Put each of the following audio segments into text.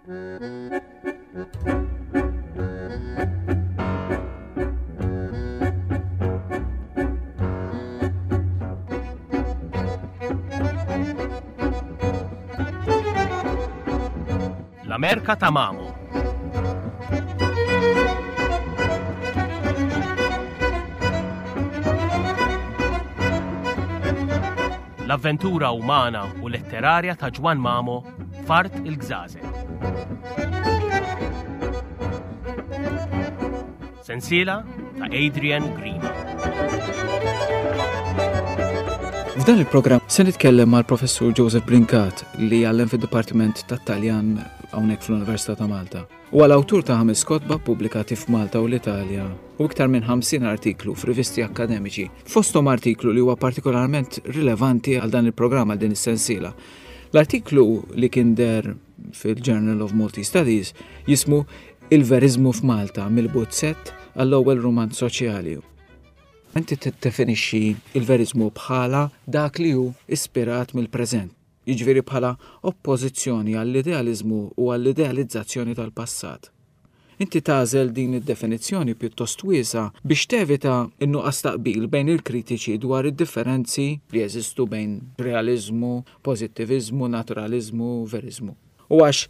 L-Amerka ta' Mamo. L-avventura umana u letterarja ta' Ġwann Mamo f'Art il-Gżażel. Sensiela ta' Adrian Grima. F'dan il-programm se nitkellem mal-Professur Joseph Brincat li jgħallem fid-Dipartiment tat-Taljan hawnhekk fl-Università ta' Malta. Huwa l-awtur ta' ħames kotba ppubblikati f'Malta u l-Italja u iktar minn 50 artiklu f'rivisti akkademiċi, fosthom artiklu li huwa partikolarment rilevanti għal dan il-programm għal din is-sensiela. L-artiklu li kien der fil-Journal of Maltese Studies jismu Il-Veriżmu f'Malta mill-Buzzett għall-ewwel rumanz soċjali. Inti tiddefinixxi l-veriżmu bħala dak li hu ispirat mill-preżent, jiġifieri bħala oppożizzjoni għall-idealiżmu u għall-idealizzazzjoni tal-passat. Inti tagħżel din id-definizzjoni pjuttost wiesgħa biex tevita n-nuqqas ta' qbil bejn il-kritiċi dwar id-differenzi li jeżistu bejn realiżmu, pożittiviżmu, naturaliżmu, veriżmu. U għax,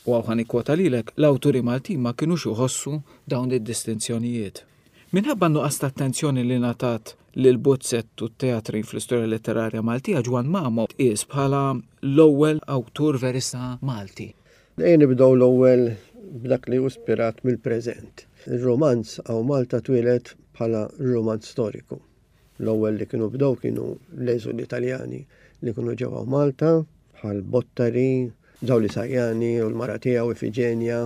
u hawn ħa nikkwota lilek, l-awturi Maltin ma kinux iħossu dawn id-distinzjonijiet. Minħabba n-nuqqas ta' attenzjoni li ngħatat lill-buzzett u t-teatrin fl-istorja letterarja Maltija, Ġwann Mamo tqies bħala l-ewwel awtur verista Malti. Ejja nibdew l-ewwel b'dak li hu spirat mill-preżent. Ir-rumanz hawn Malta twieled bħala rumanz storiku. L-ewwel li kienu bdew kienu l-eżuli Taljani li kienu ġew hawn Malta bħal Bottari, Zawli Sajjani u l-mara tiegħu Ifiġenja.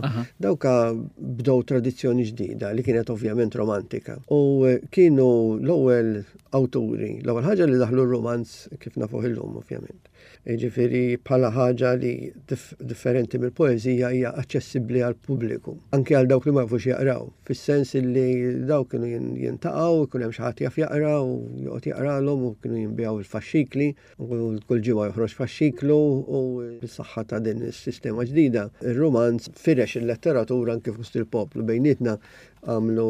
Dawka bdew tradizzjoni ġdida li kienet ovvjament romantika. U kienu l-ewwel awturi, l-ewwel ħaġa li daħlu r-rumanz kif nafuh illum ovvjament. Jiġifieri bħala ħaġa li differenti mill-poeżija hija aċċessibbli għall-pubbliku, anke għal dawk li ma jafux jaqraw, fis-sens li dawk kienu jintaqgħu, ikun hemm xi ħadd jaf jaqra u joqgħod jaqralhom u kienu jinbiegħu l-faxxikli, u kull ġimgħa joħroġ faxxiklu u bis-saħħa ta' din is-sistema ġdida, ir-rumanz firex il-letteratura anke fost il-poplu bejnietna għamlu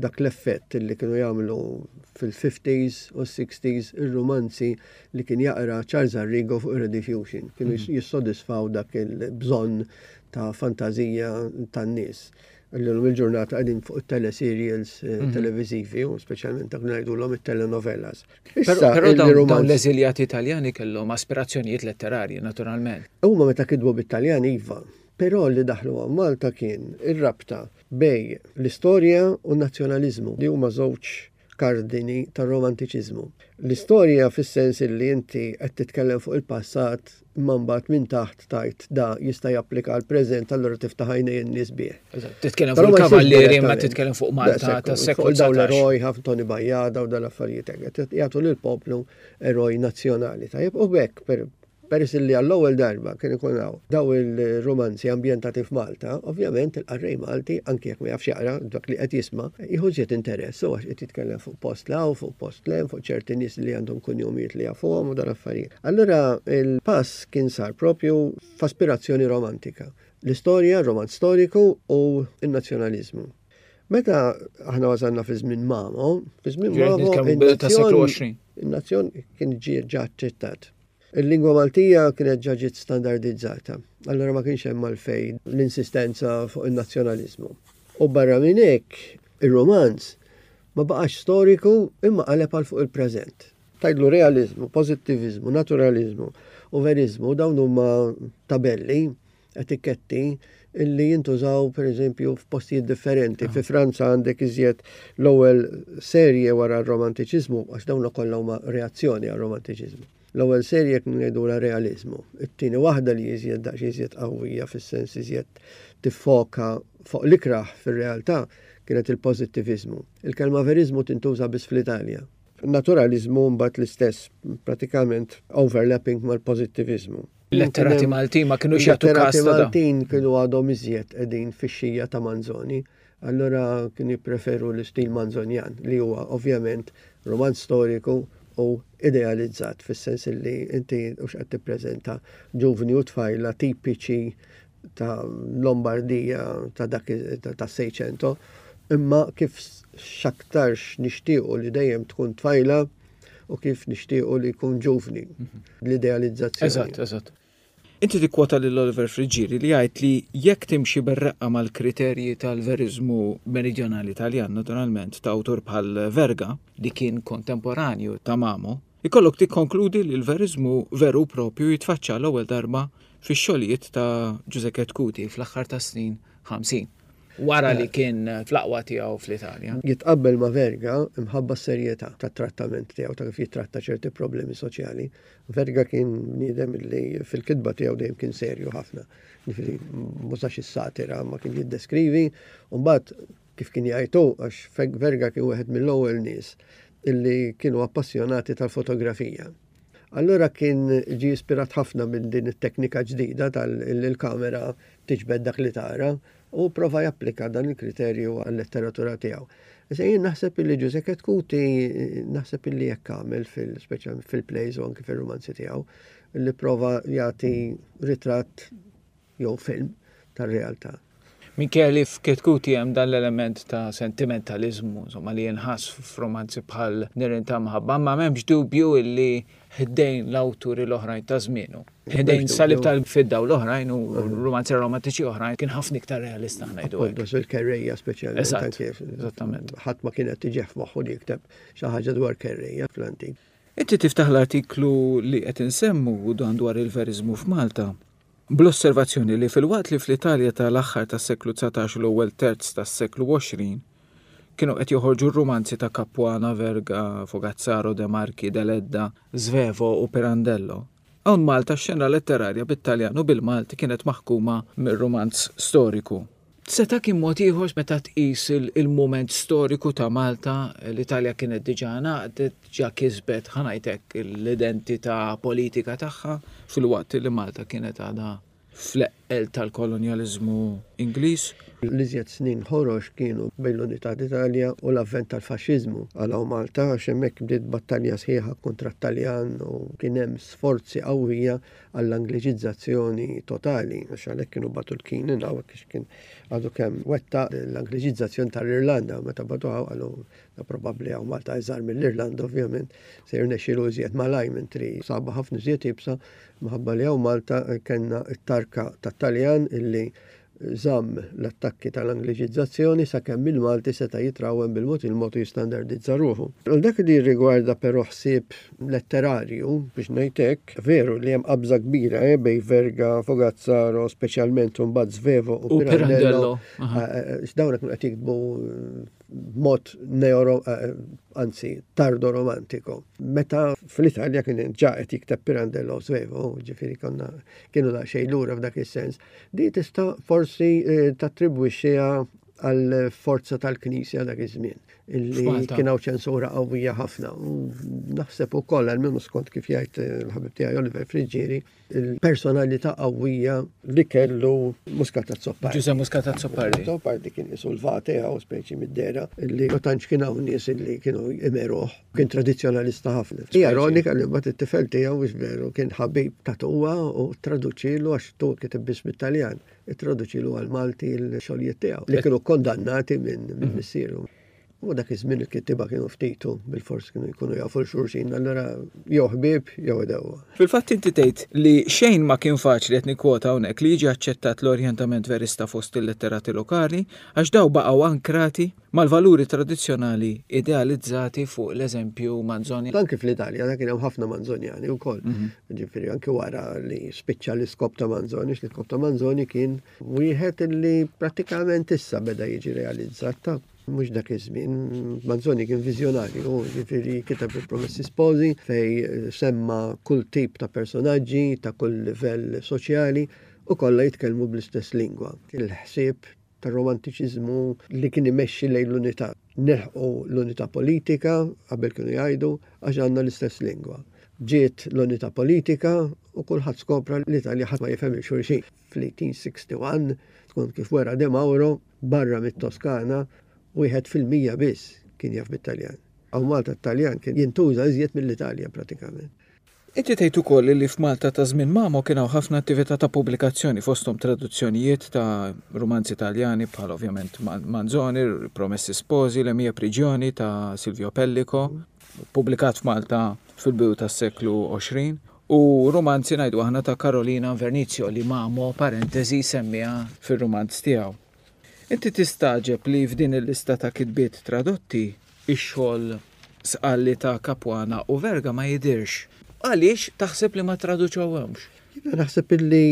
dak l-effett li kienu jagħmlu fil-50s u 60s ir-rumanzi li kien jaqra Charles Arrigo fuq ir-Rediffusion. Kienu mhm. jissodisfaw dak il-bżonn ta' fantazija tan-nies. Illum il-ġurnata qegħdin fuq it-teleserials eh, mhm. televiżivi u speċjalment dak ngħidulhom it-telenovelas. Però dawn l-eżiljati Italjani kellhom aspirazzjonijiet letterarji naturalment. Huma meta kitbu bit-Taljan iva, però li daħlu għal Malta kien ir-rabta bej l-istorja u n-nazzjonaliżmu li huma żewġ kardini tar-Romantiċiżmu. L-istorja fis-sens illi inti qed titkellem fuq il-passat imma mbagħad minn taħt tgħid da jista' japplika għall-preżent allura tiftaħ għajnejn in-nies bih. Titkellem fuq il-kavallieri imma titkellem fuq Malta tas-seklu Fuq dawn l-eroj, ħafna Toni Bajjada u dal-affarijiet hekk. Jagħtu lill-poplu eroj nazzjonali. Tajjeb u b'hekk Peress li għall-ewwel darba kien ikun hawn daw il-rumanzi ambjentati f'Malta, ovvjament il-qarrej Malti, anki jekk ma jafx jaqra dak li qed jisma', jieħu iżjed interess u għax qed jitkellem fuq post 'l hawn, fuq post 'l hemm, fuq ċerti nies li għandhom kunjomijiet li jafuhom u dan affarijiet. Allura l-pass kien sar propju f'aspirazzjoni romantika. L-istorja, r-romanz storiku u n-nazzjonaliżmu. Meta aħna wasalna fi żmien Mamo, fi żmien Mamo, in-nazzjon kien ġie ġa aċċettat. Il-lingwa Maltija kienet ġa ġiet standardizzata, allura ma kienx hemm għalfejn l-insistenza fuq in-nazzjonaliżmu. U barra minn hekk, ir-rumanz ma baqax storiku imma qaleb għal fuq il-preżent. Tgħidlu realiżmu, pożittiviżmu, naturaliżmu u veriżmu dawn huma tabelli etiketti illi jintużaw pereżempju f'postijiet differenti. Fi Franza għandek iżjed l-ewwel serje wara r-romantiċiżmu, għax dawn kollha huma reazzjoni għar-romantiċiżmu. L-ewwel serje kienu jgħidulha realiżmu. It-tieni waħda li iżjed daqs iżjed qawwija fis-sens iżjed tiffoka fuq l-ikrah fir-realtà kienet il-pożittiviżmu. Il-kelma veriżmu tintuża biss fl-Italja. Naturaliżmu mbagħad l-istess pratikament overlapping mal-pożittiviżmu. Letterati Maltin ma kinux jagħtu każ. Letterati Maltin kienu għadhom iżjed qegħdin fix-xija ta' Manzoni. Allura kienu jippreferu l-istil Manzonjan li huwa ovvjament romanz storiku u idealizzat fis-sens li inti hux qed tippreżenta ġuvni u tfajla tipiċi. ta' Lombardija ta' dak ta' Seicento, imma kif x'aktarx nixtiequ li dejjem tkun tfajla u kif nixtiequ li jkun ġuvni, l-idealizzazzjoni. Eżatt, eżatt. Inti tikkwota lil Oliver Friggieri li jgħid li jekk timxi bir-reqqa mal-kriterji tal-veriżmu meridjonali Taljan, naturalment, ta' awtur bħal Verga, li kien kontemporanju ta' Mamo, ikollok tikkonkludi li l-veriżmu veru u proprju jitfaċċa għall-ewwel darba fix-xogħlijiet ta' Ġużè Chetcuti fl-aħħar tas-snin 50, wara li kien fl-aqwa tiegħu fl-Italja. Jitqabbel ma' Verga imħabba s-serjetà tat-trattament tiegħu, ta' kif jittratta ċerti problemi soċjali. Verga kien bniedem li fil-kitba tiegħu dejjem kien serju ħafna. Ġifieri m'użax is-satira ma kien jiddeskrivi, u mbagħad kif kien jgħid hu, għax Verga kien wieħed mill-ewwel nies illi kienu appassjonati tal-fotografija. Allura kien ġie ispirat ħafna minn din it-teknika ġdida tal-kamera tiġbed dak li tara u prova japplika dan il-kriterju għal-letteratura tiegħu. Issa jien naħseb illi Ġużè Chetcuti naħseb illi hekk għamel fil-speċjalment fil-plays u anki fir-rumanzi tiegħu, illi prova jagħti ritratt jew film tar-realtà. Minkejja li f'Chetcuti hemm dan l-element ta' sentimentaliżmu, insomma, li jinħass f'romanzi bħal Nirien ta' Mħabba, ma m'hemmx dubju illi ħdejn l-awturi l-oħrajn ta' żmienu. Ħdejn Salib tal-Fidda u l-oħrajn u romanzi romantiċi oħrajn kien ħafna iktar realista ngħidu. Appunto, il-kerrejja speċjalment. Eżatt, eżattament. Ħadd ma kien qed tiġih f'moħħu li jikteb xi ħaġa dwar kerrejja fl-antik. Inti tiftaħ l-artiklu li qed insemmu u dan dwar il-veriżmu f'Malta bl-osservazzjoni li filwaqt li fl-Italja ta' l-aħħar tas-seklu 19 u l-ewwel terz tas-seklu 20 kienu qed joħorġu r-rumanzi ta' Capuana, Verga, Fogazzaro, De Marchi, Deledda, Svevo u Pirandello, hawn Malta x-xena letterarja bit-Taljan u bil-Malti kienet maħkuma mir-rumanz storiku. Seta' kien mod ieħor meta tqis il-mument storiku ta' Malta, l-Italja kienet diġà ngħaqdet, diġà kisbet, ħa ngħid hekk, l-identità politika tagħha filwaqt li Malta kienet għadha fl-eqqel tal-kolonjaliżmu Ingliż. L-iżjed snin ħorox kienu bejn l-Unità d'Italja u l-avvent tal-faxxiżmu għal hawn Malta għax hemmhekk bdiet battalja sħiħa kontra t-Taljan u kien hemm sforzi qawwija għall-Angliċizzazzjoni totali għax għalhekk kienu bagħtu l-Keenan hawnhekk għax kien għadu kemm wettaq l-Angliċizzazzjoni tal-Irlanda meta bagħtuha hawn qalu da probabbli hawn Malta iżgħar mill-Irlanda ovvjament se jirnexxielu iżjed malajr mentri sabha ħafna iżjed iebsa Minħabba li hawn Malta kellna t-tarka tat-Taljan illi żamm l-attakki tal-Angliċizzazzjoni sakemm il-Malti seta' jitrawwem bil-mod il-mod u jistandardizza ruħu. Għal dak li jirrigwarda però ħsieb letterarju, biex ngħid hekk, veru li hemm qabża kbira eh, bejn Verga, Fogazzaro, speċjalment imbagħad Svevo u Pirandello. Dawn kienu qed jiktbu b'mod neo, anzi tardo romantico. Meta fl-Italja kien ġa qed jikteb Pirandello u Svevo, ġifieri konna kienu daqsxejn lura f'dak is-sens. Di tista' forsi eh, tattribwixxiha għal forza tal-Knisja dak iż-żmien illi kien hawn ċensura qawwija ħafna. U naħseb ukoll għal skont kif jgħid eh, l-ħabib tiegħi Oliver Friggieri, il-personalità qawwija li kellu Muscat Azzopardi. Ġużè Muscat Azzopardi. Azzopardi kien isu l-vate għaw speċi mid-dera li ma tantx kien hawn nies li kienu imeruh. Kien tradizzjonalista ħafna. Hija ironika li mbagħad it-tifel tiegħu mhux veru kien ħabib ta' tuwa u traduċilu għax tu kiteb biss bit-Taljan, ittraduċilu għall-Malti l-xogħlijiet tiegħu li kienu kondannati minn mhm. missieru. U dak iż-żmien il-kittieba kienu ftit u bilfors kienu jkunu jafu 'l xulxin, allura jew ħbieb jew għedewwa. Fil-fatt inti tgħid li xejn ma kien faċli, qed nikkwota hawnhekk, li jiġi aċċettat l-orjentament verista fost il-letterati lokali għax daw baqgħu ankrati mal-valuri tradizzjonali idealizzati fuq l-eżempju Manzoni. Anki fl-Italja da kien hemm ħafna Manzonjani wkoll. Ġifieri anki wara li spiċċa l-iskop ta' Manzoni, l-iskop ta' Manzoni kien wieħed li prattikament issa beda jiġi realizzat ta' Mhux dak iż-żmien, Manzoni kien viżjonarju, jiġifieri kiteb il-Promessi Sposi fej eh, semma kull tip ta' personaġġi ta' kull livell soċjali u kollha jitkellmu bl-istess lingwa. Il-ħsieb tar-romantiċiżmu li kien imexxi lejn l-unità. Nilħqu l-unità politika, qabel kienu jgħidu, għax għandna l-istess lingwa. Ġiet l-unità politika u kulħadd skopra l-Italja ħadd ma jifhem il-xulxin. Fl-1861, skont kif wera De Mauro, barra mit-Toskana, 1% biss kien jaf bit-Taljan. Hawn Malta t-Taljan kien jintuża iżjed mill-Italja pratikament. Inti tgħid ukoll li f'Malta ta' żmien Mamo kien hawn ħafna attività ta' pubblikazzjoni fosthom traduzzjonijiet ta' rumanzi Taljani bħal ovvjament Manzoni, Promessi Sposi, Le mie prigioni ta' Silvio Pellico, pubblikat f'Malta fil-bidu tas-seklu 20, u rumanzi ngħidu aħna ta' Carolina Invernizio li Mamo parentesi semmiha fir-rumanz tiegħu. Inti tistagħġeb li f'din il-lista ta' kitbiet tradotti, ix-xogħol Sqalli ta' Capuana u Verga ma jidhirx. Għaliex taħseb li ma ttraduċewhomx? Jiena naħseb illi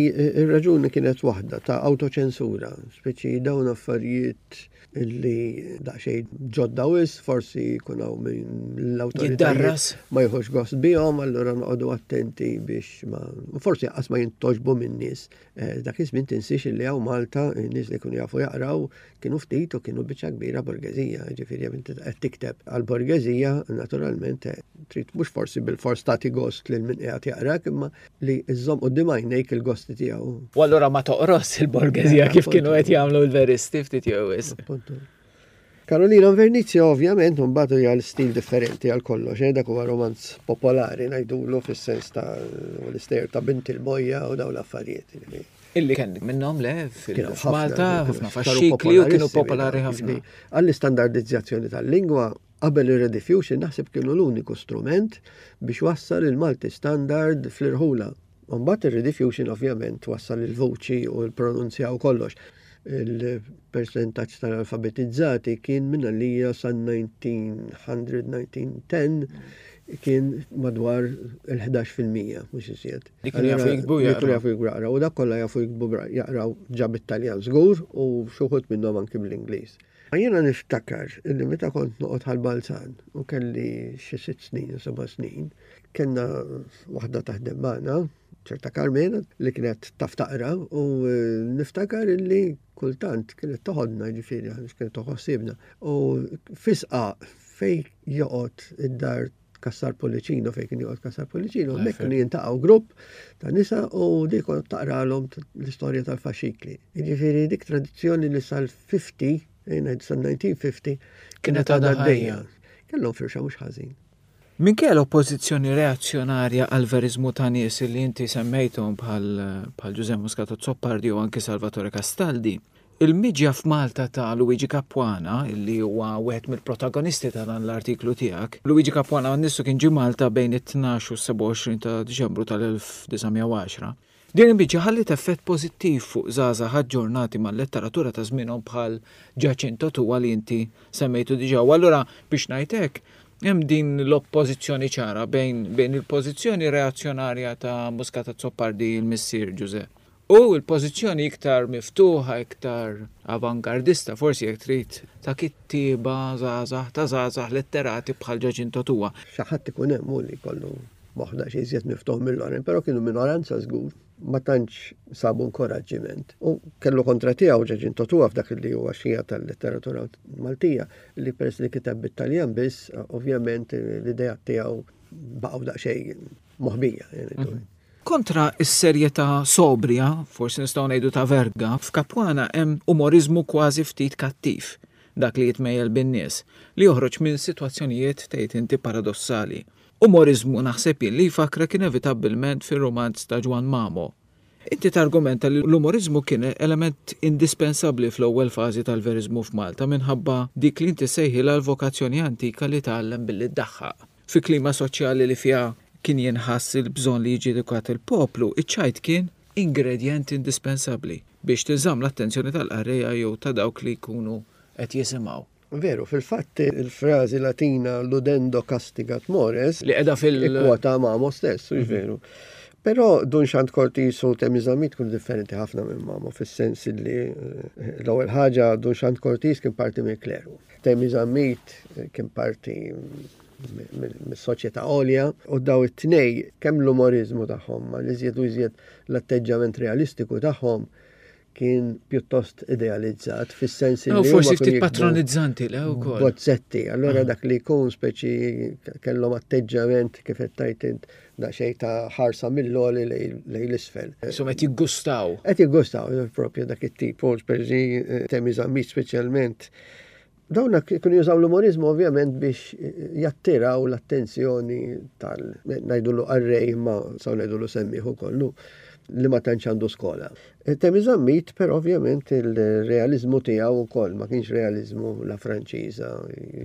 r-raġuni kienet waħda ta' awtoċensura, speċi dawn affarijiet illi daqsxejn ġodda wisq, forsi jkun hawn min l-awtoritajiet ma jieħux gost bihom, allura noqogħdu attenti biex ma forsi qas ma jintogħġbu min-nies. Eh, dak iż-żmien tinsiex illi hawn Malta nies li kienu jafu jaqraw kienu ftit u kienu biċċa kbira borgeżija, ġifieri jekk inti qed tikteb għal borgeżija, naturalment eh, trid mhux forsi bil-fors tagħti gost lil min qiegħed jaqrak imma li żżomm quddiem għajnejk il-gosti tiegħu. U allura ma toqros il-borgeżija eh, kif kienu qed jagħmlu l-veristi ftit jew wisq. Carolina Invernizio ovvjament mbagħad hija l-stil differenti għal kollox, eh, dak huwa romanz popolari ngħidulu fis-sens ta' l-istejjer ta' Bint il-Bojja u dawn l-affarijiet. Illi kien minnhom le fil-Malta ħafna faxxikli u kienu popolari ħafna. Għall-istandardizzazzjoni tal-lingwa qabel ir-rediffusion naħseb kienu l-uniku strument biex wassal il-Malti standard fl-irħula. Mbagħad ir-rediffusion ovvjament wassal il-vuċi u l-pronunzja u kollox. Il-persentaġġ tal-alfabetizzati kien minn għalija sa 1900, 1910 kien madwar il-11% mhux iżjed. Li kienu jafu jiktbu jaqraw. Li jafu jiktbu jaqraw. U dak kollha jafu jiktbu jaqraw ġa bit-Taljan żgur u xi wħud minnhom anki bl-Ingliż. Jiena niftakar illi meta kont noqgħod Ħal Balzan u kelli xi sitt snin u seba' snin, kellna waħda taħdem magħna, ċerta Carmena, li kienet taf taqra u eh, niftakar illi kultant kienet toħodna ġifieri għaliex kienet toħossibna. U fisqa fej joqgħod id-dar Kassar Pullicino fejn kien joqgħod Kassar Pullicino, hemmhekk kienu jintaqgħu grupp ta' nisa u dik kont taqralhom l-istorja tal-faxikli. Jiġifieri dik tradizzjoni li sal-50, eh, sal-1950 kienet għadha għaddejja. Kellhom firxa mhux ħażin. Minkejja l-oppożizzjoni reazzjonarja għall-veriżmu ta' nies li inti semmejthom bħal bħal Ġużè Muscat Azzopardi u anki Salvatore Castaldi, Il-miġja f'Malta ta' Luigi Capuana, li huwa wieħed mill-protagonisti ta' dan l-artiklu tiegħek. Luigi Capuana nnifsu kien ġie Malta bejn it-tnax u s-27 ta' Diċembru tal-1910. Din il-miġja ħalliet effett pożittiv fuq żgħażagħ aġġornati mal-letteratura ta' żmienhom bħal Giacinto Tua li inti semmejtu diġà. U allura biex ngħid hekk, hemm din l-oppożizzjoni ċara bejn bejn il-pożizzjoni reazzjonarja ta' Muscat Azzopardi l-missier Ġużè U l-pożizzjoni iktar miftuħa, iktar avangardista, forsi jekk trid, ta' kittieba żgħażagħ, ta' żgħażagħ letterati bħal Ġaċinto Tua. Xi ħadd ikun hemm hu li jkollu moħħ daqsxejn iżjed miftuħ mill-oħrajn, però kienu minoranza żgur, ma tantx sabu inkoraġġiment. U kellu kontra tiegħu Ġaċinto Tua f'dak li huwa xija tal-letteratura Maltija, li peress li kiteb bit-Taljan biss, ovvjament l-ideat tiegħu baqgħu daqsxejn moħbija. Mhm. Kontra s-serjetà sobrja, forsi nistgħu ngħidu ta' Verga, f'Capuana hemm umoriżmu kważi ftit kattiv, dak li jitmejjel bin-nies, li joħroġ minn sitwazzjonijiet tgħid inti paradossali. Umoriżmu naħseb jien li jfakkrek inevitabbilment fir-rumanz ta' Ġwann Mamo. Inti targumenta li l-umoriżmu kien element indispensabbli fl-ewwel fażi tal-veriżmu f'Malta minħabba dik li inti ssejħilha l-vokazzjoni antika li tgħallem billi ddaħħaq. Fi klima soċjali li fiha kien jinħass il-bżonn li jiġi edukat il-poplu, iċ-ċajt kien ingredjent indispensabbli biex tinżamm l-attenzjoni tal-qarrejja jew ta' dawk li jkunu qed jisimgħu. Veru, fil-fatt il-frażi Latina ludendo castigat mores li qiegħda fil- Ikkwota Mamo stess, hux veru. Però Dun Xand Cortis u Temi Zammit kienu differenti ħafna minn Mamo fis-sens li eh, l-ewwel ħaġa Dun Xand Cortis kien parti mill-kleru. Temi Zammit kien parti mis-soċjetà għolja u daw it-tnej kemm l-umoriżmu tagħhom ma l-iżjed u iżjed l-atteġġjament realistiku tagħhom kien pjuttost idealizzat fis-sens li forsi ftit patronizzanti le wkoll. Bozzetti, allura dak li jkun speċi kellhom atteġġjament kif qed tgħid int daqsxejn ta' ħarsa mill-għoli lejn l-isfel. Insomma qed jiggustaw. Qed jiggustaw propju dak it-tip, u speċi Temi Zammit speċjalment. Dawna kienu jużaw l-umorizmu ovvjament biex jattiraw l-attenzjoni tal ngħidulu qarrej imma saw ngħidulu semmiħ ukoll li ma tantx għandu skola. E, Temi Zammit però ovvjament il-realizmu tiegħu wkoll ma kienx realizmu la Franċiża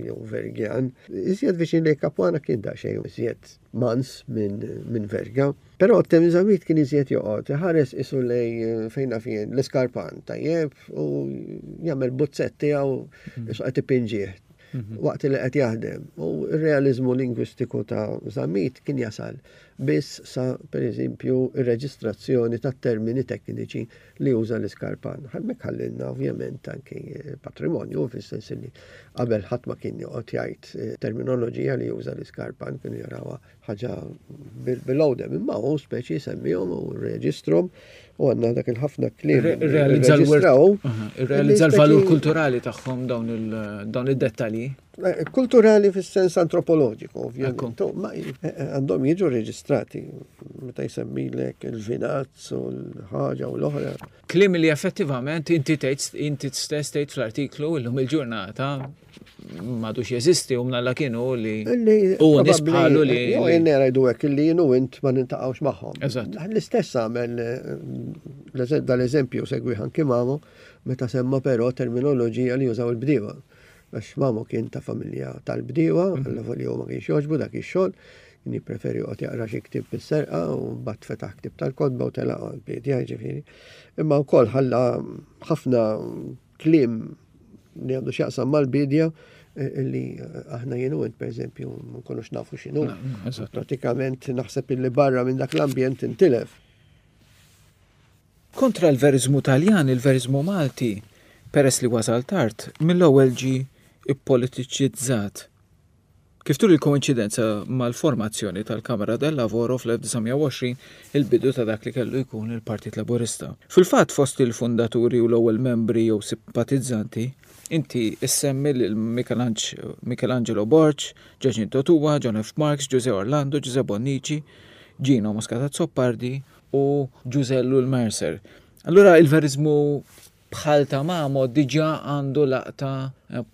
jew Vergjan. Iżjed viċin li Capuana kien daqsxejn iżjed mans minn min Verga. Però Temi Zammit kien iżjed joqgħod iħares isu lej eh, fejn naf jien l-iskarpan tajjeb u jagħmel buzzett tiegħu mhm. isu qed ipinġih mhm. waqt li qed jaħdem. U r-realizmu lingwistiku ta' Zammit kien jasal biss sa pereżempju ir-reġistrazzjoni tat-termini tekniċi li uża l-iskarpan. Hemmhekk ħallilna ovvjament anki eh, patrimonju fis-sens li qabel ħadd ma kien joqgħod jgħid eh, terminoloġija li juża l-iskarpan kienu jarawha ħaġa below them, imma hu speċi semmihom u rreġistrom u għandna dak il-ħafna kliem. Realizza l-valur kulturali tagħhom dawn id-dettalji. Eh, kulturali fis-sens antropoloġiku, ovvjament. Ma eh, eh, għandhom jiġu reġistrati meta jsemmilek il-vinazz u l-ħaġa u l-oħra. Kliem li effettivament inti tgħid inti stess tgħid fl-artiklu illum il-ġurnata m'għadux jeżisti u mnalla kienu li u nies bħalu li. Jew jien ngħidu hekk li jien u int ma nintaqgħux magħhom. Eżatt. L-istess għamel eh, dal-eżempju segwi anki mamu meta semma però terminoloġija li jużaw il-bdiewa. Għax mamu kien ta' familja tal-bdiewa, mhm. għalla li ma kienx jogħġbu dak ix-xogħol, kien jippreferi joqgħod jaqra xi ktieb bis-serqa u mbagħad fetaħ ktieb tal-kotba u telaq għall-bidja jiġifieri. Imma wkoll ħalla ħafna kliem li għandu x'jaqsam mal-bidja eh, li eh, aħna jien u int pereżempju ma nkunux nafu x'inhu. Pratikament naħseb illi barra minn dak l-ambjent intilef. Kontra l-veriżmu Taljan, il-veriżmu Malti, peress li wasal tard, mill-ewwel ġie ppolitiċizzat. Kif turi l-koinċidenza mal-formazzjoni tal-Camera del Lavoro fl-1920, il-bidu ta' dak li kellu jkun il-Partit Laburista. Fil-fatt fost il-fundaturi u l-ewwel membri jew simpatizzanti, inti ssemmi lil Michelangelo Borg, Giacinto Tua, John F. Marks, Ġużè Orlando, Ġużè Bonnici, Gino Muscat Azzopardi u Ġużè Ellul Mercer. Allura il-veriżmu Bħal ta' Mamo diġà għandu laqta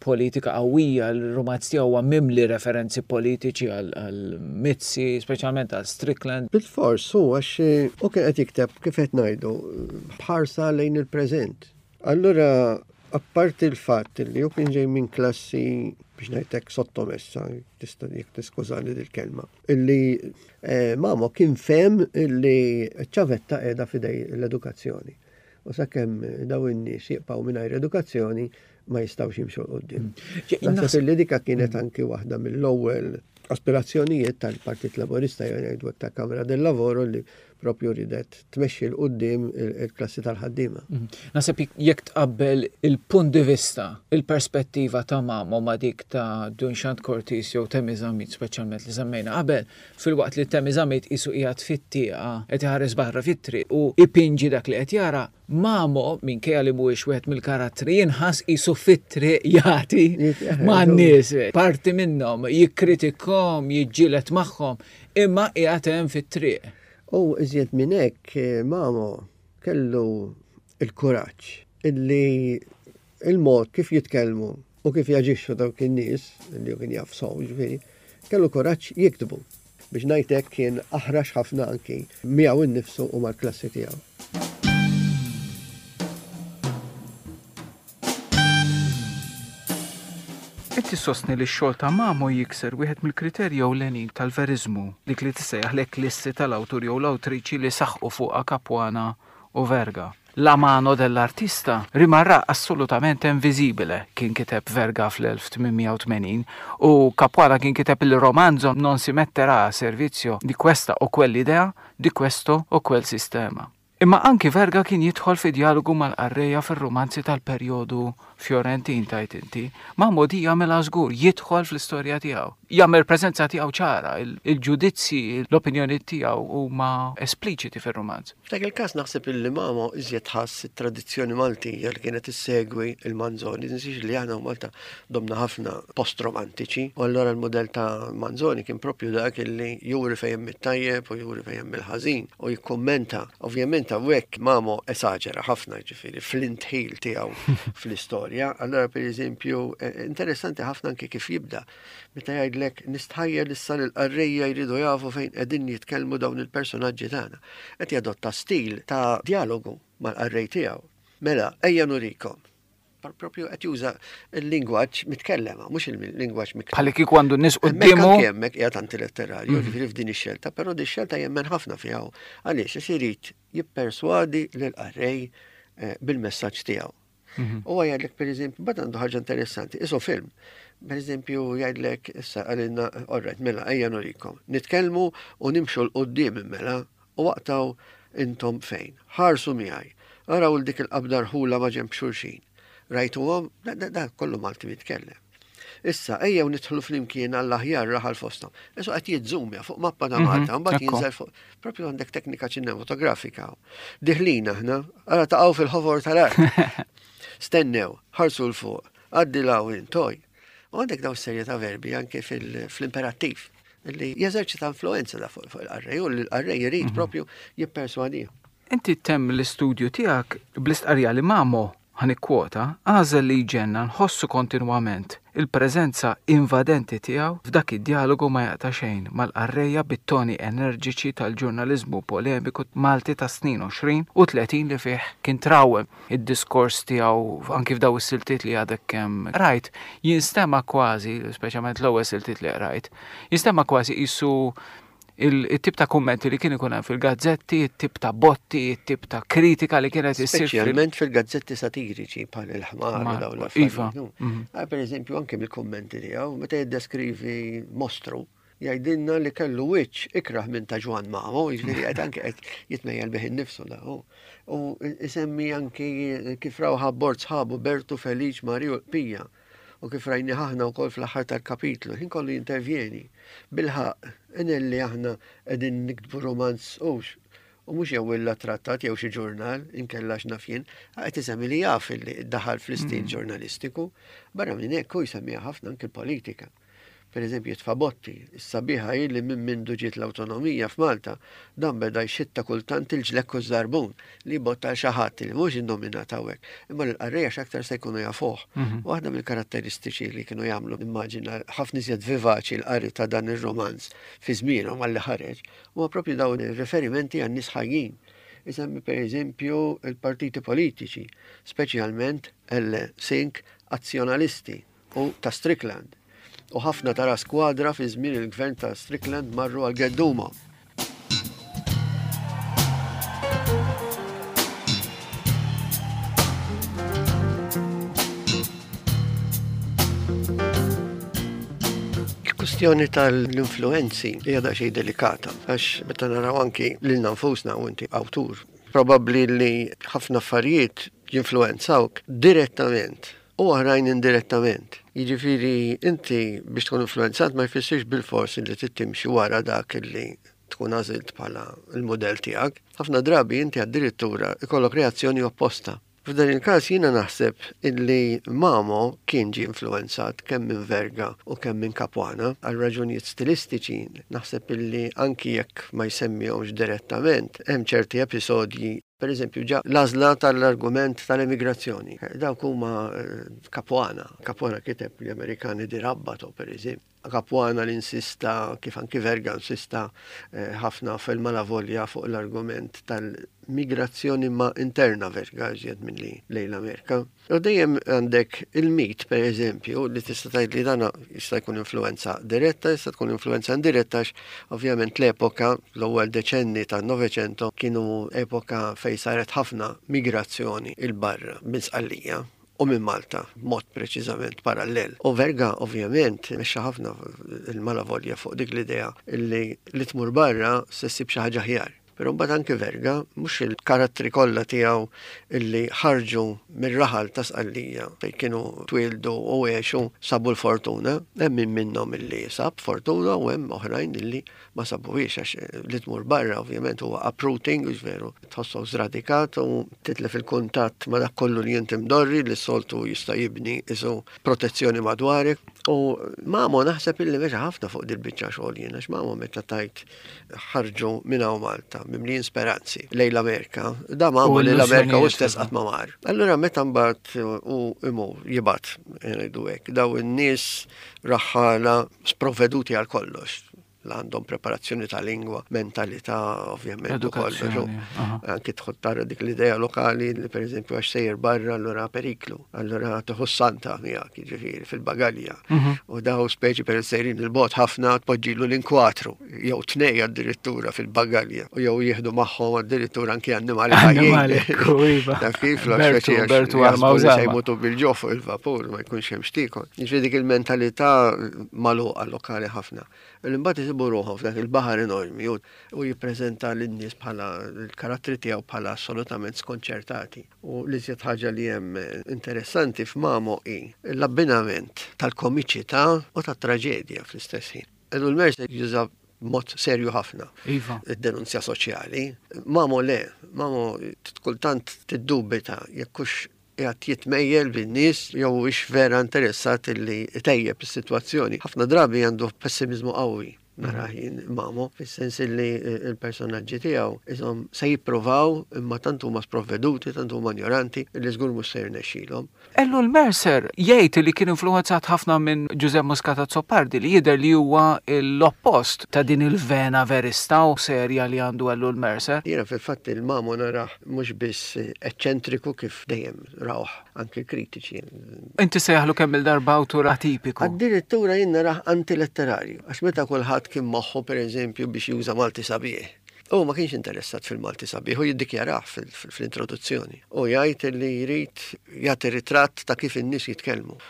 politika qawwija, il-rumanz tiegħu huwa mimli referenzi politiċi għal Mizzi, speċjalment għal Strickland. Bilfors, hu għax hu kien qed jikteb kif qed ngħidu b'ħarsa lejn il-preżent. Allura apparti l-fatt li hu kien ġej minn klassi biex ngħid hekk sottomessa, tista' jekk tiskużani dil-kelma, illi eh, Mamo kien fehem illi ċ-ċavetta qiegħda f'idej l-edukazzjoni. U sakemm daw in-nies jibqgħu mingħajr edukazzjoni ma jistgħux jimxu 'l quddiem. Mm. Naħseb li dika kienet mm. anki waħda mill-ewwel aspirazzjonijiet tal-Partit Laburista jew ngħidu ta' Kamra del Lavoro li propju ridet tmexxi 'l quddiem il-klassi tal-ħaddiema. Mm. Naħseb jekk tqabbel il-punt di vista, il-perspettiva ta' Mamo ma' dik ta' Dunxant Cortis jew Temi Zammit speċjalment li semmejna qabel, Filwaqt li Temi Zammit qisu qiegħed fit-tieqa qed iħares barra fit-triq u jpinġi dak li qed jara, Mamo, minkejja li mhuwiex wieħed mill-karattri, jinħass qisu fit-triq jagħti man-nies, parti minnhom, jikkritikhom, jiġġieled magħhom, imma qiegħed hemm fit-triq. U iżjed minn hekk, Mamo kellu l-kuraġġ illi il-mod kif jitkellmu u kif jaġixxu dawk in-nies, li hu kien jaf sew jiġifieri, kellu kuraġġ jiktbu. Biex ngħid hekk kien aħrax ħafna anki miegħu nnifsu u mal-klassi tiegħu. Inti ssostni li x-xogħol ta' Mamo jikser wieħed mill-kriterji ewlenin tal-veriżmu, dik li tissejjaħ l-eklissi tal-awtur jew l-awtriċi li saħqu fuqha Capuana u Verga. La mano dell'artista rimarrà assolutamente invisibile, kien kiteb Verga fl-1880, u Capuana kien kiteb Il romanzo non si metterà a servizio di questa o quell'idea, di questo o quel sistema. Imma anki Verga kien jidħol fi djalogu mal-qarrejja fir-rumanzi tal-perjodu Fjorentin, tgħid inti. Mahmoudi jagħmilha żgur, jidħol fl-istorja tiegħu. jagħmel preżenza tiegħu ċara, il-ġudizzji, l-opinjoni tiegħu huma espliċiti fir-rumanz. F'dak il-każ naħseb illi Mamo iżjed ħass it-tradizzjoni Maltija li kienet issegwi il-Manzoni. Tinsiex li aħna Malta domna ħafna post-romantiċi u allura l-mudell ta' Manzoni kien propju dak illi juri fejn hemm it-tajjeb u juri fejn hemm il-ħażin u jikkummenta. Ovvjament hawnhekk Mamo esaġera ħafna ġifieri fl-intħil tiegħu fl-istorja. Allura pereżempju eh, interessanti ħafna anke kif jibda meta jgħidlek nistħajjel issa li l-qarrejja jridu jafu fejn qegħdin jitkellmu dawn il-personaġġi tagħna. Qed jadotta stil ta' dialogu mal-qarrej tiegħu. Mela, ejja nurikom. Propju qed juża l-lingwaġġ mitkellem, mhux il-lingwaġġ miktub. Bħalli kieku għandu n-nies quddiemu. Hemmhekk hemmhekk qiegħed antiletterarju, mhm. ġifieri f'din ix-xelta, però din ix-xelta jemmen ħafna fiha. Għaliex għax irid jipperswadi lill-qarrej eh, bil-messaġġ tiegħu. Mhm. U jgħidlek per eżempju, bad għandu ħaġa interessanti, isu film. Per eżempju, jgħidlek, issa għalina, orret, mela, ejja nurikom. Nitkellmu u nimxu l-qoddim mela, u waqtaw intom fejn. Ħarsu miegħi. Araw 'l dik il-qabda rħula ma' ġenb xulxin. Rajtuhom? Da, da, da kollu Malti mitkellem. Issa, ejjew nidħlu flimkien għall-aħjar raħal fosthom. Isu qed jizzumja fuq mappa ta' mhm, Malta, mbagħad jinżel fuq. Propju għandek teknika ċinematografika. Diħlin aħna, ara taqgħu fil-ħofor tal-art. Stennew, ħarsu l fuq, għaddi law intoj. U għandek daw serje ta' verbi anke fil-imperattiv li jeżerċita influenza da fuq il-qarrej u l-qarrej jrid mhm. propju jipperswadih. Inti temm l-istudju tiegħek bl-istqarrija li Mamo, ħa nikkwota, għażel li jġenna nħossu kontinwament il-preżenza invadenti tiegħu f'dak id-djalogu ma jaqta' xejn mal-qarrejja bit-toni enerġiċi tal-ġurnaliżmu polemiku Malti tas-snin 20 u 30 li fih kien trawwem id-diskors tiegħu anki f'daw is-siltiet li għadek kemm qrajt, jinstema' kważi, speċjalment l-ewwel siltiet li qrajt, jinstema' kważi qisu il-tip ta' kummenti li kien ikun hemm fil-gazzetti, it-tip ta' botti, it-tip ta' kritika li kienet issir. Speċjalment fil-gazzetti satiriċi bħal il-ħmar u dawn l-affarijiet. Iva. Mhm. Ah, per eżempju, anke mill-kummenti tiegħu, meta jiddeskrivi mostru, jgħidilna li kellu wiċċ ikrah minn ta' Ġwann Mamo, jiġifieri qed anke qed jitmejjel bih innifsu da. U isemmi anki kif raw ħabbord sħabu Bertu, Feliċ, Mariju l-Qpija u kif rajnih aħna wkoll fl-aħħar tal-kapitlu, ħin kollu jintervjeni. Bilħaqq, inelli aħna qegħdin niktbu romanz hux u mhux jew illa trattat jew xi ġurnal, inkella x'naf jien, qed isemmi li jaf li daħal fl-istil mm. ġurnalistiku. Barra minn hekk hu jsemmiha ħafna anke l-politika. Per eżempju, jitfa' botti. Is-sabiħa hi li minn mindu ġiet l-awtonomija f'Malta, dan beda jxitta kultant il-ġlekk u ż-żarbun li jbotta għal xi ħadd li mhux innominat hawnhekk, imma li l-qarrejja x'aktar se jkunu jafuh. Mhm. Waħda mill-karatteristiċi li kienu jagħmlu immaġina ħafna iżjed vivaċi l-qari ta' dan ir-romanz fi żmienhom għalli ħareġ, huwa propju dawn ir-riferimenti għan nies ħajjin. Isemmi per eżempju il-partiti politiċi, speċjalment L. Sink azzjonalisti u ta' Strickland. U ħafna ta' ras kwadra fi żmien il-gvern ta' Strickland marru għal gedduma. Il-kwistjoni tal-influenzi hija daqsxejn delikata għax meta naraw anki lilna nfusna u inti awtur, probabbli li ħafna affarijiet jinfluwenzawk direttament u oħrajn indirettament. Jiġifieri inti biex tkun influwenzat ma jfissirx bilfors li trid timxi wara dak li tkun għażilt bħala l-mudell tiegħek. Ħafna drabi inti addirittura ikollok reazzjoni opposta. F'dan il-każ jiena naħseb illi Mamo kien ġie influwenzat kemm minn Verga u kemm minn Capuana għal raġunijiet stilistiċi. Naħseb illi anki jekk ma jsemmihomx direttament, hemm ċerti episodji Per eżempju, ġa l-għażla tal-argument tal-emigrazzjoni. Dawk huma eh, Capuana. Capuana kiteb li Amerikani di Rabbato, per eżempju. Capuana li insista, kif anki Verga insista eh, ħafna fil-Malavolja fuq l-argument tal-migrazzjoni ma interna Verga iżjed milli lejn l-Amerika. U dejjem għandek il-mit, per eżempju, li tista' tgħid li dana jista' jkun influenza diretta, jista' tkun influenza indiretta għax ovvjament l-epoka, l-ewwel deċenni tan-Novecento kienu epoka fejn saret ħafna migrazzjoni 'il barra minn Sqallija u minn Malta b'mod preċiżament parallel. U Verga ovvjament mexxa ħafna il-Malavolja fuq dik l-idea li li tmur barra se ssib xi ħaġa aħjar. Però mbagħad anki Verga, mhux il-karattri kollha tiegħu illi ħarġu mir-raħal ta' Sqallija fejn kienu twieldu u għexu sabu l-fortuna, hemm min minnhom illi sab fortuna u hemm oħrajn illi ma sabuhiex għax li tmur barra ovvjament huwa uprooting, hux veru, tħossok żradikat u titlef il-kuntatt ma' dak kollu li inti mdorri li s-soltu jista' jibni isu protezzjoni madwarek. U Mamo naħseb illi mexa ħafna fuq dil-biċċa xogħol jien għax Mamo meta tajt ħarġu minn hawn Malta mimlijin speranzi lejn l-Amerika, da Mamo li l-Amerika u stess qatt ma mar. Allura meta mbagħad u imur jibgħat ngħidu hekk daw in-nies raħħala sprovveduti għal kollox la għandhom preparazzjoni ta' lingwa, mentalità, ovvjament, u kollox. Anki tħod tara dik l-idea lokali li per eżempju għax sejjer barra allura periklu, allura tieħu santa miegħek, jiġifieri fil-bagalja. Mhm. U daw speċi per sejrin il-bot ħafna tpoġġilu l-inkwatru, jew tnej addirittura fil-bagalja, u jew jieħdu magħhom addirittura anki annimali ħajjin. Iva. Taf kif l speċi Bertu għal jmutu bil-ġof fuq il-vapur ma jkunx hemm xtikon. Jiġifieri dik il-mentalità magħluqa lokali ħafna. Li mbagħad isibu ruħhom f'dak il-baħar enormi u jippreżenta lin-nies bħala l-karattri tiegħu bħala assolutament skonċertati. U l-iżjed ħaġa li hemm interessanti f'Mamo hi l-abbinament tal-komiċità u tat-traġedja fl-istess ħin. Ellul Mercer juża b'mod serju ħafna Iva. id-denunzja soċjali. Mamo le, Mamo kultant tiddubita jekk hux qiegħed jitmejjel bin-nies jew huwiex vera interessat li jtejjeb is-sitwazzjoni. Ħafna drabi għandu pessimiżmu qawwi narah jien Mamo, fis-sens li l-personaġġi tiegħu ishom se jippruvaw imma tant huma sprovveduti, tant huma injoranti li żgur mhux se jirnexxilhom. Ellul Mercer jgħid li kien influwenzat ħafna minn Ġużè Muscat Azzopardi li jidher li huwa l-oppost ta' din il-vena verista u serja li għandu Ellul Mercer. Jiena fil-fatt il-Mamo narah mhux biss eċċentriku kif dejjem rawh anki l-kritiċi. Inti sejjaħlu kemm-il darba awtur atipiku. Addirittura jien narah antiletterarju, għax meta kulħadd kien moħħu pereżempju biex juża Malti sabiħ, hu ma kienx interessat fil-Malti sabiħ u jiddikjarah fl-introduzzjoni. Hu jgħid li jrid jagħti ritratt ta' kif in-nies jitkellmu.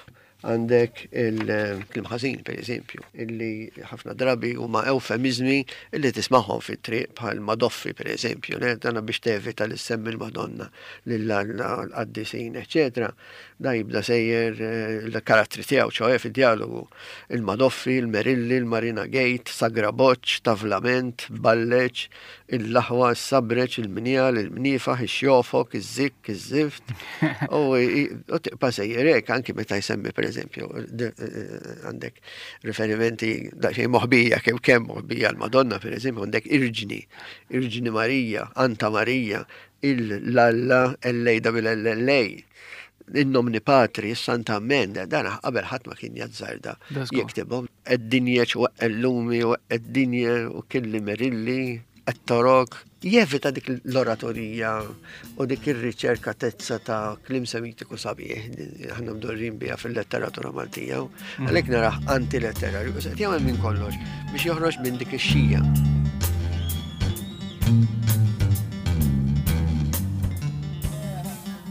Għandek il-kliem ħażin, per eżempju, illi ħafna drabi huma eufemiżmi illi tismagħhom fit-triq bħal madoffi, per eżempju, le, dana biex tevita li ssemmi l-Madonna lil Alla, l-qaddisin, eċċetera. Da jibda sejjer eh, l-karattri tiegħu, ċoe fid-dialogu. Il-Madoffi, il-Merilli, il-Marina Gate, Sagra Boċ, Tavlament, Balleċ, Il-laħwa, is-sabreċ, il-mnjal, il-mniefaħ, ix-xjofok, iż-żikk, iż-żift. U tibqa' sejjer hekk anki meta jsemmi pereżempju għandek riferimenti daqsxejn moħbija kemm kemm moħbija l-Madonna pereżempju għandek Irġni, Irġni Marija, Anta Marija, il-Lalla, L-A-L-L-A. In-nomni patri, is-Santa Amen, dan qabel ħadd ma kien jazzarda jiktibhom. Ed-dinjeċ u ellumi u ed-dinje u killi merilli, et-torok. Jevita dik l-oratorija u dik ir-riċerka tezza ta' klim semitiku sabiħ li aħna mdorrin biha fil-letteratura Maltija. Mhm. Għalhekk narah antiletterarju, qed jagħmel minn kollox biex joħroġ minn dik ix-xija.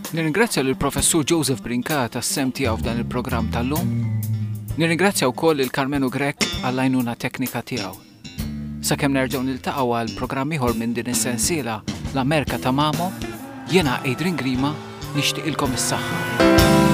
Nirringrazzja lill Professur Joseph Brincat għas-sehem tiegħu f'dan il-programm tal-lum. Nirringrazzja wkoll lil Karmenu Grech għall-għajnuna teknika tiegħu. Sakemm nerġgħu niltaqgħu għal programm ieħor minn din is-sensiela L-Amerika ta' Mamo, jiena Adrian Grima nixtieqilkom is-saħħa.